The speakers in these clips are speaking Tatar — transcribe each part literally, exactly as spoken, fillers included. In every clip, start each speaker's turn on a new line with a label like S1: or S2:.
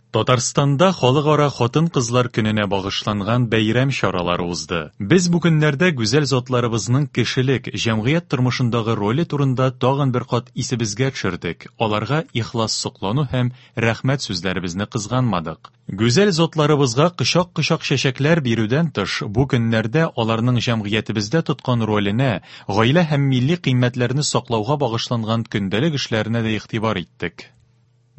S1: Татарстанда Халыкара хатын-кызлар көненә багышланган бәйрәм чаралары узды. Без бу көннәрдә гүзәл затларыбызның кешелек, җәмгыять тормышындагы роле турында тагын бер кат исебезгә төшердек, аларга ихлас соклану һәм рәхмәт сүзләребезне кызганмадык. Гүзәл затларыбызга кочак-кочак чәчәкләр бирүдән тыш, бу көннәрдә аларның җәмгыятебездә тоткан роленә, гаилә һәм милли кыйммәтләрне саклауга багышланган көндәлек эшләренә дә игътибар иттек.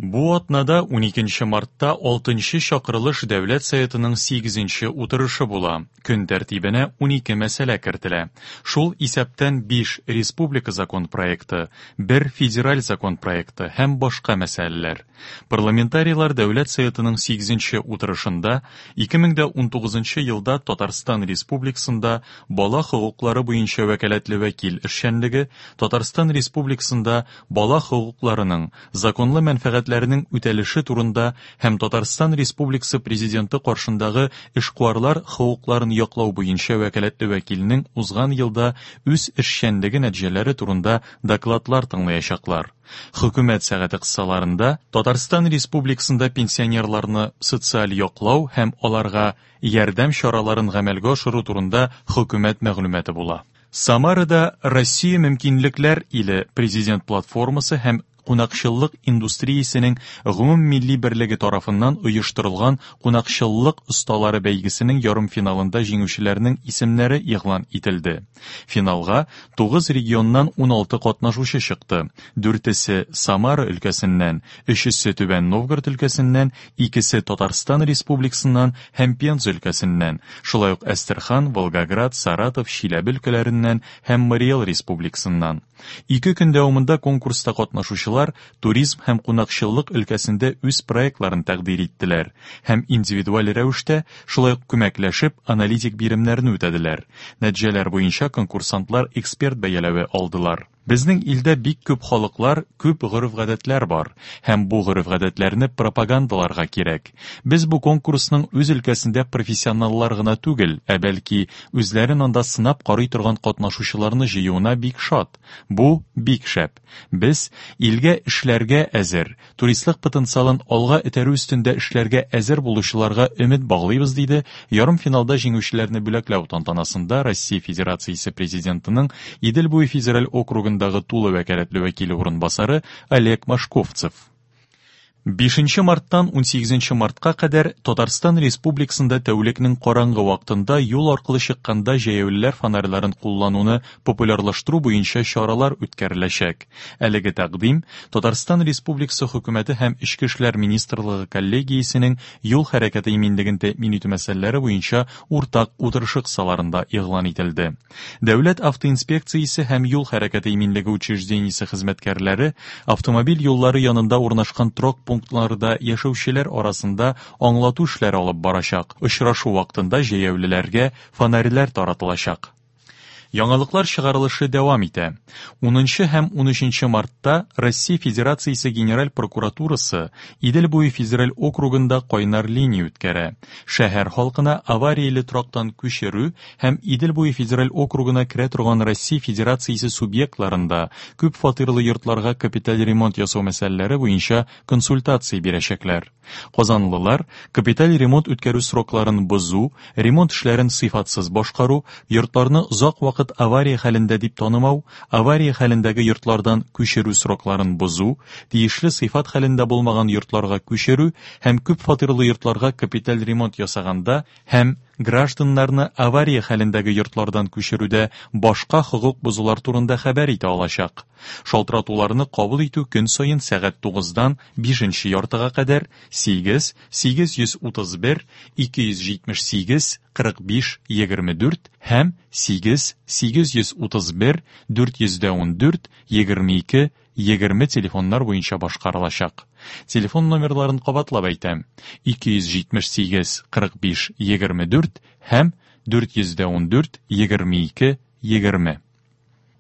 S1: Бу атнада уникенче мартта алтынчы чакырылыш Дәүләт Советының сигезенче утырышы була. Көн тәртибенә унике мәсьәлә кертелә. Шул исәптән биш республика закон проекты, бер федераль закон проекты һәм башка мәсьәләләр. Парламентарийлар Дәүләт Советының сигезенче утырышында ике мең дә унтугызынчы елда Татарстан Республикасында бала хокуклары буенча вәкаләтле вәкил эшчәнлеге, Татарстан Республикасында бала хокукларының законлы мәнфәгатьләренең үтәлеше турында һәм Татарстан Республикасы Президенты каршындагы эшкуарлар хокукларын яклау буенча вәкаләтле вәкилнең узган елда үз эшчәнлеге нәтиҗәләре турында докладлар тыңлаячаклар. Хөкүмәт сәгате кысаларында Татарстан Республикасында пенсионерларны социаль яклау һәм аларга ярдәм чараларын гамәлгә ашыру турында хөкүмәт мәгълүматы була. Самарада Россия мөмкинлекләр иле президент платформасы һәм кунакчыллык индустриясенең гомуммилли берлеге тарафыннан оештырылган кунакчыллык осталары бәйгесенең ярымфиналында җиңүчеләрнең исемнәре игълан ителде. Финалга тугыз регионнан уналты катнашучы чыкты. Дүртесе Самара өлкәсеннән, өчесе Түбән Новгород өлкәсеннән, икесе Татарстан Республикасыннан һәм Пенза өлкәсеннән, шулай ук Әстерхан, Волгоград, Саратов, Чиләбе өлкәләреннән һәм Мари Эл Республикасыннан. Ике көн дәвамында конкурста катнашучылар туризм һәм кунакчыллык өлкәсендә үз проектларын тәкъдир иттеләр һәм индивидуаль рәвештә шулай ук күмәкләшеп аналитик биремнәрне үтәделәр. Нәтиҗәләр буенча конкурсантлар эксперт бәяләве алдылар. Безнең илдә бик күп халыклар, күп гореф-гадәтләр бар һәм бу гореф-гадәтләрне пропагандаларга кирәк. Без бу конкурсның үз өлкәсендә профессионаллар гына түгел, ә бәлки үзләрен анда сынап карый торган катнашучыларны җыюына бик шат. Бу бик шәп. Без илгә эшләргә әзер, туристлык потенциалын алга этәрү өстендә эшләргә әзер булучыларга өмет баглыйбыз, диде ярымфиналда җиңүчеләрне бүләкләү тантанасында Россия Федерациясе Президентының Идел буе федераль округындагы тулы вәкаләтле вәкиле урынбасары Олег Машковцев. Бишенче марттан унсигезенче мартка кадәр Татарстан Республикасында тәүлекнең караңгы вакытында юл аркылы чыкканда җәяүлеләр фонарьларын куллануны популярлаштыру буенча чаралар үткәреләчәк. Әлеге тәкъдим Татарстан Республикасы хөкүмәте һәм Эчке эшләр министрлыгы коллегиясенең юл хәрәкәте иминлеген тәэмин итү мәсьәләләре буенча уртак утырышы кысаларында игълан ителде. Дәүләт автоинспекциясе һәм юл хәрәкәте иминлеге учреждениесе хезмәткәрләре автомобиль юллары янында урнашкан торак пунктларда яшәүчеләр арасында аңлату эшләре алып барачак. Очрашу вакытында җәяүлеләргә фонарьлар таратылачак. Яңалыклар чыгарылышы дәвам итә. Унынчы һәм унөченче мартта Россия Федерациясе Генераль прокуратурасы Идел буе федераль округында кайнар линия үткәрә. Шәһәр халкына аварияле торактан күчерү һәм Идел буе федераль округына керә торган Россия Федерациясе субъектларында күп фатирлы йортларга капиталь ремонт ясау мәсьәләләре буенча консультация бирәчәкләр. Казанлылар капиталь ремонт үткәрү срокларын бозу, ремонт эшләрен сыйфатсыз башкару, йортларны озак вакыт авария хәлендә дип танымау, авария хәлендәге йортлардан күчерү срокларын бозу, тиешле сыйфат хәлендә булмаган йортларга күчерү һәм күп фатирлы йортларга капиталь ремонт ясаганда һәм гражданнарны авария хәлендәге йортлардан күчерүдә башка хокук бозулар турында хәбәр итә алачак. Шалтыратуларны кабул итү көн саен сәгать тугыздан бишенче яртыга кадәр сигез, сигез йөз утыз бер, ике йөз җитмеш сигез, кырык биш, егерме дүрт һәм сигез, сигез йөз утыз бер, дүрт йөз дә ун дүрт, егерме ике, егерме телефоннар буенча башкарылачак. Телефон номерларын кабатлап әйтәм: ике йөз җитмеш сигез, кырык биш, егерме дүрт һәм дүрт йөз дә ун дүрт, егерме ике, егерме.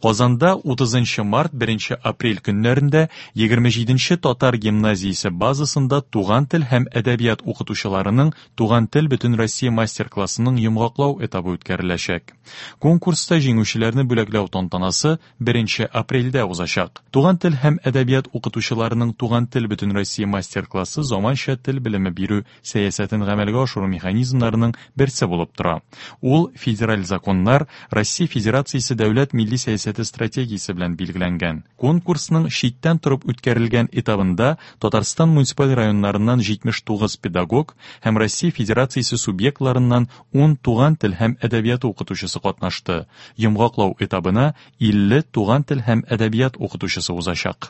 S1: Казанда утызынчы март беренче апрель көннәрендә егерме җиденче татар гимназиясе базасында туган тел һәм әдәбият укытучыларының Туган тел Бөтенроссия мастер-классының йомгаклау этабы үткәреләчәк. Конкурста җиңүчеләрне бүләкләү тантанасы беренче апрельдә узачак. Туган тел һәм әдәбият укытучыларының Туган тел Бөтенроссия мастер-классы заманча тел белеме бирү сәясәтен гамәлгә ашыру механизмнарының берсе булып тора. Ул федераль законнар, Россия Федерациясе дәүләт милли сәясәте стратегиясе белән билгеләнгән. Конкурсның читтән торып үткәрелгән этабында Татарстан муниципаль районнарыннан җитмеш тугыз педагог һәм Россия Федерациясе субъектларыннан ун туган тел һәм әдәбият укытучысы катнашты. Йомгаклау этабына илле туган тел һәм әдәбият укытучысы узачак.